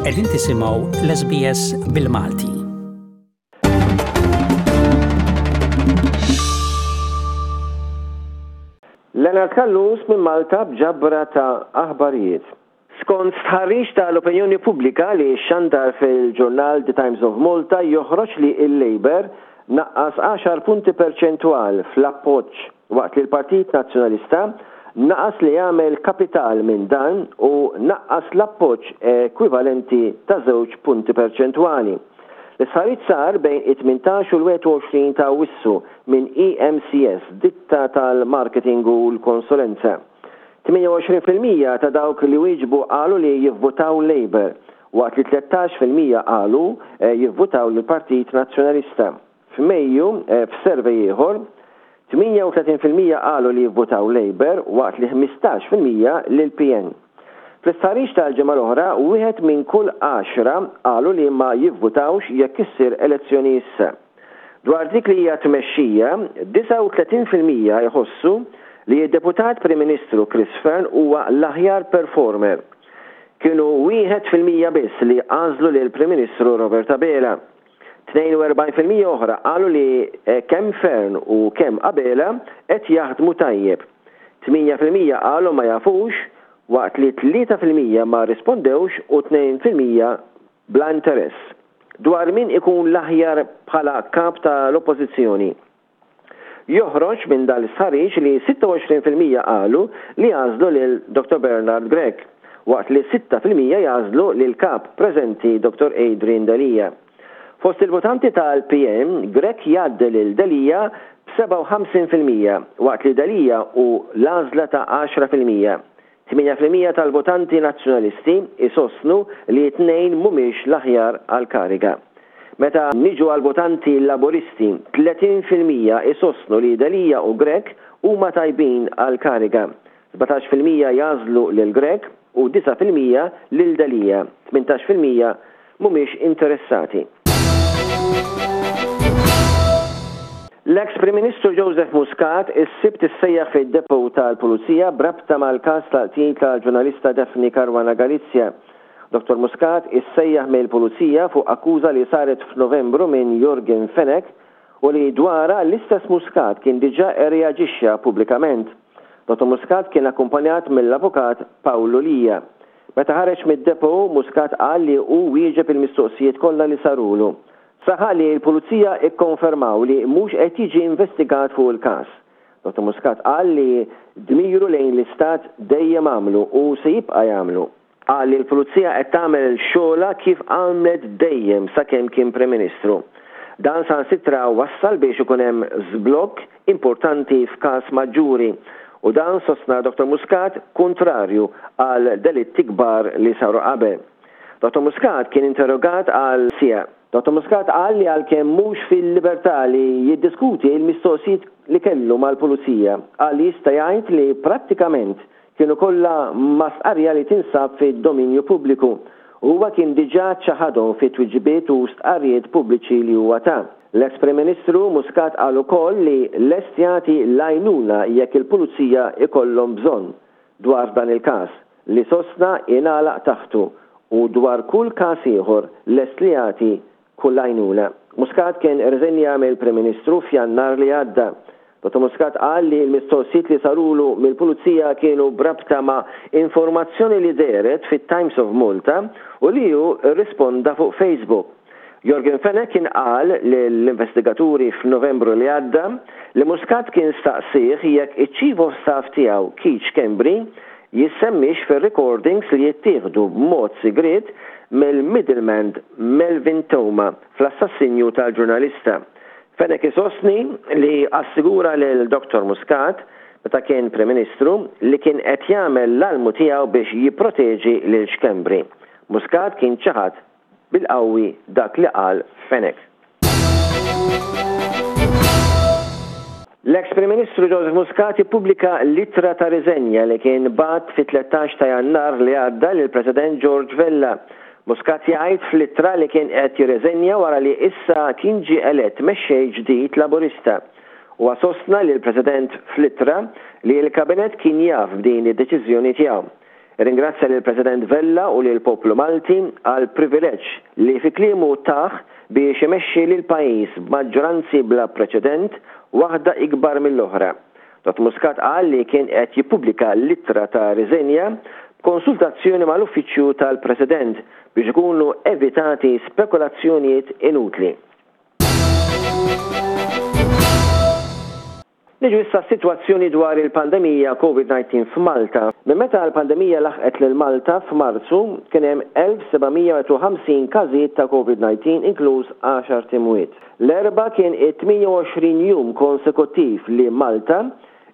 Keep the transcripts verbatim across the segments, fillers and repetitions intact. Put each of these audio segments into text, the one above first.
Qegħdin tisimgħu l-S B S bil-Malti. Leonard Callus minn Malta b'ġabra ta' aħbarijiet. Skont stħarriġ tal-opinjoni pubblika li xandar fil-ġurnal The Times of Malta, joħroġ li il-Labour naqqas għaxar punti perċentwal fl-appoġġ, waqt li l-Partit Nazzjonalista naqas li jagħmel kapital minn dan u naqqas l-appoġġ ekwivalenti ta' żewġ punti perċentwali. L-istħarriġ sar bejn it-tmintax u l-wieħed u għoxrin ta' Awwissu minn E M C S, ditta tal-marketing u l-konsulenza. tmienja u għoxrin fil-mija ta' dawk li wieġbu qalu li jivvutaw Labour, waqt li tlettax fil-mija qalu eh, jivvutaw lill-Partit Nazzjonalista. F'Mejju, eh, f'survey ieħor, tmienja u tletin fil-mija qalu li jivvutaw Labour, waqt li ħmistax fil-mija lil P N. Fl-istħarriġ tal-ġimgħa l-oħra, wieħed minn kull għaxra qalu li ma jivvutawx jekk issir elezzjoni issa. Dwar dik li hija tmexxija, disgħa u tletin fil-mija jħossu li d-deputat Prim Ministru Chris Fearne huwa l-aħjar performer. Kienu wieħed fil-mija biss li għażlu lil Prim Ministru Robert Abela. tnejn u erbgħin fil-mija oħra qalu li eh, kemm Fearne u kemm Abela qed jaħdmu tajjeb. tmienja fil-mija qalu ma jafux, waqt li tlieta fil-mija ma rispondewx u tnejn fil-mija bla interess. Dwar min ikun l-aħjar bħala kap tal-oppożizzjoni, joħroġ minn dal-istħarriġ li sitta u għoxrin fil-mija qalu li jagħżlu lil Dottor Bernard Grech, waqt li sitta fil-mija jagħżlu lil kap preżenti Dottor Adrian Delia. Fost il-votanti tal-P N, Grech jgħaddi lil Delia b'sebgħa u ħamsin fil-mija, waqt li Delia hu l-għażla ta' għaxra fil-mija. tmienja fil-mija tal-votanti nazzjonalisti isostnu li t-tnejn mhumiex l-aħjar għal-kariga. Meta niġu għal-votanti Laburisti, tletin fil-mija isostnu li Delia u Grech huma tajbin għal-kariga. sbatax fil-mija jagħżlu lil Grech u disgħa fil-mija lil Delia. tmintax fil-mija mhumiex interessati. L-ex Prim Ministru Joseph Muscat is-Sibt issejjaħ fid-depot tal-Pulizija brabta mal-każ tal-qtil tal-ġurnalista Daphne Caruana Galizia. Dottor Muscat issejjaħ mill-Pulizija fuq akkuża li saret f'Novembru minn Yorgen Fenech u li dwara l-istess Muscat kien diġà reaġixxa pubblikament. Dottor Muscat kien akkumpanjat mill-avukat Paolo Lia. Meta ħareġ mid-depot, Muscat qal li hu wieġeb il-mistoqsijiet kollha li sarulu. Saħaq li l-Pulizija ikkonfermaw li mhux qed jiġi investigat fuq il-każ. Dottor Muscat qal li dmiru lejn l-istat dejjem għamlu u se jibqa' jagħmlu. Qal li l-Pulizija qed tagħmel xogħla kif għamlet dejjem sakemm kien Prim Ministru. Dan saħansitra wassal biex ikun hemm żblokk importanti f'każ maġġuri u dan, sostna Dottor Muscat, kontrarju għal delitti kbar li saru qabel. Dottor Muscat kien interrogat għal siegħa. Dottor Muscat qal li għalkemm mhux fil-libertà li jiddiskuti il-mistoqsijiet li kellu mal-pulizija, qal li jista' jgħid li prattikament kienu kollha ma' stqarrija li tinsab fid-dominju pubbliku. Huwa kien diġà ċaħadhom fit twiġibiet u stqarrijiet pubbliċi li huwa ta. L-ex Prim Ministru Muscat qal ukoll li lest jagħti l-għajnuna jekk il-pulizija ikollhom bżonn dwar dan il-każ li sostna ingħalaq taħtu, u dwar kull każ ieħor lest li jagħti kull għajnuna. Muscat kien rriżenja mill-Prim Ministru f'Jannar li għadda. Dottor Muscat qal li l-mistoqsijiet li sarulu mill-pulizija kienu brabta ma' informazzjoni li dehret fit-Times of Malta u li hu risponda fuq Facebook. Yorgen Fenech kien qal l-investigaturi f'Novembru li għadda li Muscat kien staqsih jekk iċ-Chief of Staff tiegħu Keith Schembri jissemmix fir-recordings li jittieħdu b'mod sigriet mill-middleman Melvin Theuma fl-assassinju tal-ġurnalista. Fenech isostni li assigura lil Dottor Muscat meta kien Prim Ministru li kien qed jagħmel l-almu tiegħu biex jipproteġi lil Schembri. Muscat kien ċaħad bil-qawwi dak li qal Fenech. L-ex Prim Ministru Joseph Muscat ippubblika l-ittra ta' riżenja li kien bagħat fit-tlettax ta' Jannar li għadda lill President George Vella. Muscat jgħid fl-ittra li kien qed jirriżenja wara li issa kien ġie elett mexxej ġdid Laburista. U sostna li l-President fl-ittra li l-Kabinet kien jaf b'din id-deċiżjoni tiegħu. Irringrazzja lill-President Vella u lill-poplu Malti għall-privileġġ li fi kliemu tah biex imexxi lill-pajjiż b'maġġoranzi bla preċedent, waħda ikbar mill-oħra. Dottor Muscat qal li kien qed jippubblika l-ittra ta' riżenja b'konsultazzjoni mal-Uffiċċju tal-President biex ikunu evitati spekulazzjonijiet inutli. Niġu issa s-sitwazzjoni dwar il-pandemija Covid nineteen f'Malta. Minn meta l-pandemija laħqet lil Malta f'Marzu kien hemm elf seba' mija u ħamsin każijiet ta' Covid nineteen inkluż għaxar timwiet. L-Erbgħa kien it-tmienja u għoxrin jum konsekuttiv li Malta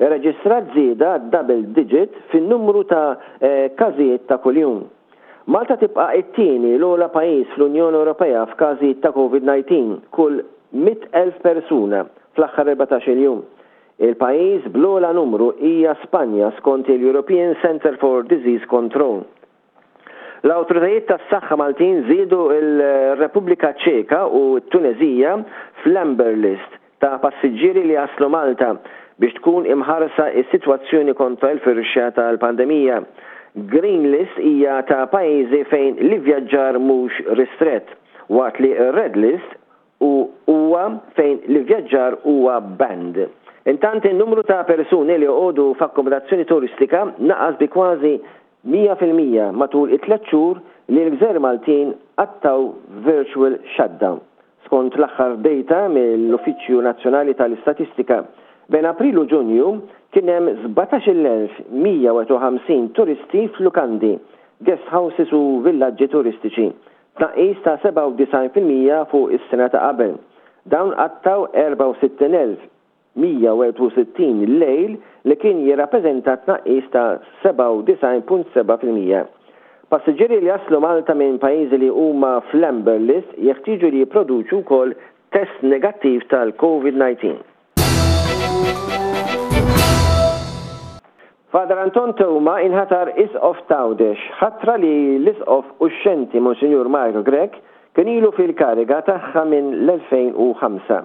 irreġistrat żieda double digit fin-numru ta' każijiet ta' kuljum. Malta tibqa' it-tieni l-ogħla pajjiż fl-Unjoni Ewropea f'każijiet ta' Covid nineteen kull mitt elf persuna fl-aħħar erbatax-il jum. Il-pajjiż bl-ogħla numru hija Spanja skont il-European Center for Disease Control. L-awtoritajiet tas-saħħa Maltin żiedu l-Repubblika Ċeka u t-Tunezija fl-Amber List ta' passiġġieri li jaslu Malta biex tkun imħarsa s-sitwazzjoni kontra l-firxa tal-pandemija. Green List hija ta' pajjiżi fejn l-ivvjaġġar mhux ristrett, waqt li r-Red List huwa fejn l-ivvjaġġar huwa banned. Intant in-numru ta' persuni li joqogħdu f'akkomodazzjoni turistika naqas bi kważi mija fil-mija matul it-tliet xhur li l-gżejjer Maltin qattaw virtual shutdown. Skont l-aħħar data mill-Uffiċċju Nazzjonali tal-Istatistika, bejn April u Ġunju kien hemm sbatax-il elf mija u ħamsin turisti f'lukandi, guest houses u villaġġi turistiċi, tnaqqis ta' sebgħa u disgħin fil-mija fuq is-sena ta' qabel. Dawn qattaw erbgħa u sittin elf mija u erbgħa u sittin lejl li kien jirrappreżenta tnaqqis ta' sebgħa u disgħin punt seba' fil-mija. Passiġġieri li jaslu Malta minn pajjiżi li huma fl-Amber List jeħtieġu li jipproduċu wkoll test negattiv tal-Covid nineteen. Father Anton Teuma inħatar Isqof t'Għawdex, ħatra li l-Isqof uxxenti Monsinjur Mario Grech kien ilu fil-kariga tagħha minn l-elfejn u ħamsa.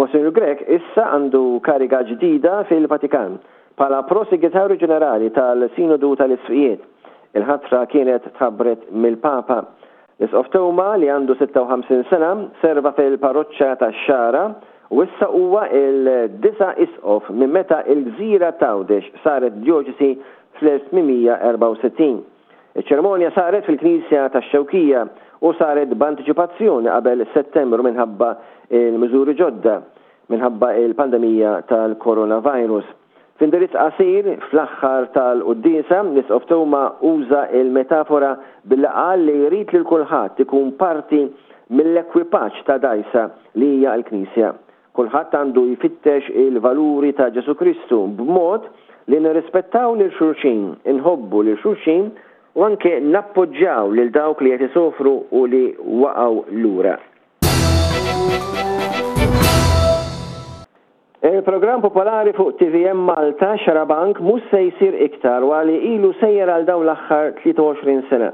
Monsinjur Grech issa għandu kariga ġdida fil-Vatikan bħala Prosegretarju Ġenerali tal-Sinodu tal-Isqfijiet. Il-ħatra kienet tħabbret mill-Papa. L-Isqof Teuma, li għandu sitta u ħamsin sena, serva fil-parroċċa tax-Xagħra u issa huwa il-disa' isqof minn meta l-gżira t'Għawdex saret djoċesi fl-elf tmien erbgħa u sittin. Iċ-ċerimonja saret fil-Knisja tax-Xewkija u saret b'antiċipazzjoni qabel Settembru minħabba il-miżuri ġodda minħabba il-pandemija tal-coronavirus. F'indirizz qasir fl-aħħar tal-quddiesa, l-Isqof Teuma uża il-metafora billi qal li jrid lil kulħadd ikun parti mill-ekwipaġġ ta' dgħajsa li hija l-Knisja. Kulħadd għandu jfittex il-valuri ta' Ġesu Kristu b'mod li nirrispettaw lil xulxin, inħobbu lil xulxin u anke nappoġġjaw lil dawk li qed isofru u li waqgħu lura. Il-programm popolari fuq T V M Malta, Xarabank, mhux se jsir iktar wara li ilu sejjer għal dawn l-aħħar tlieta u għoxrin sena.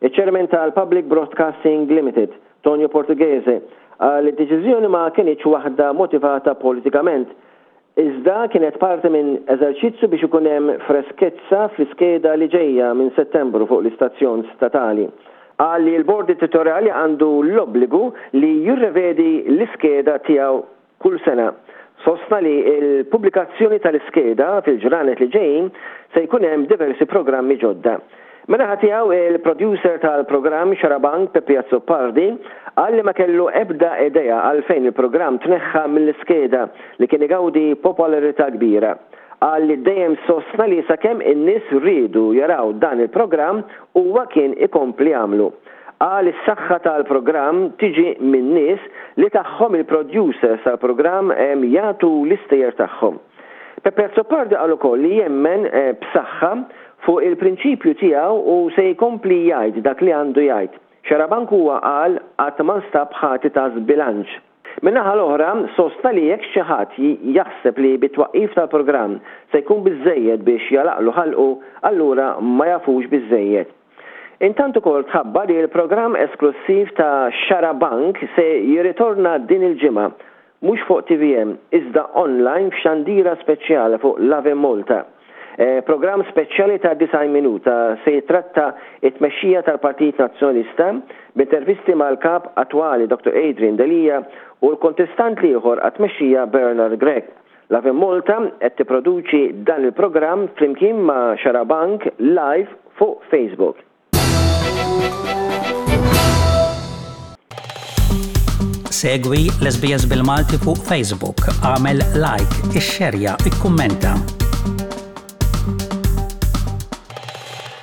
Iċ-Chairman tal-Public Broadcasting Limited, Tonio Portughese, qal li d-deċiżjoni ma kienx waħda motivata politikament, iżda kienet parti minn eżerċizzju biex ikun hemm freskezza fl-iskeda li ġejja minn Settembru fuq l-istazzjon statali. Qal li l-bord editorjali għandu l-obbligu li jirrevedi l-iskeda tiegħu kull sena. Sostna li l-pubblikazzjoni tal-iskeda fil-ġranet li ġejjin se jkun hemm diversi programmi ġodda. Min-naħa tiegħu il-producer tal-programm Xarabank Peppi Azzopardi qal li ma kellu ebda idea għalfejn il-programm tneħħa mill-iskeda li kien igawdi popolarità kbira. Qal li dejjem sostna li sakemm in-nies riedu jaraw dan il-programm huwa kien ikompli jagħmlu. Qal is-saħħa tal-programm tiġi minn nies li tagħhom il-producers tal-programm jagħtu l-istejjer tagħhom. Peppi Azzopardi qal ukoll li jemmen, eh, b'saħħa fuq il-prinċipju tiegħu u se jkompli jgħid dak li għandu jgħid. Xarabank huwa qal qatt ma nstab ħati ta' żbilanċ. Min-naħa l-oħra, sostna li jekk xi ħadd jaħseb li bit-twaqqif tal-programm se jkun biżżejjed biex jalaqlu ħalqu, allura ma jafux biżżejjed. Intant ukoll tħabbar li l-programm esklusiv ta' Xarabank se jirritorna din il-ġimgħa, mhux fuq T V M, iżda online f'xandira speċjali fuq Lovin Malta. Eh, programm speċjali ta' disgħin minuta se jitratta it-tmexxija tal-Partit Nazzjonalista b'intervisti mal-kap attwali Doctor Adrian Delia u l-kontestant l-ieħor għat-tmexxija Bernard Grech. Lovin Malta qed tipproduċi dan il-programm flimkien ma' Xarabank live fuq Facebook. Segwi l-S B S bil-Malti fuq Facebook, għamel like, ixxerja, ikkummenta.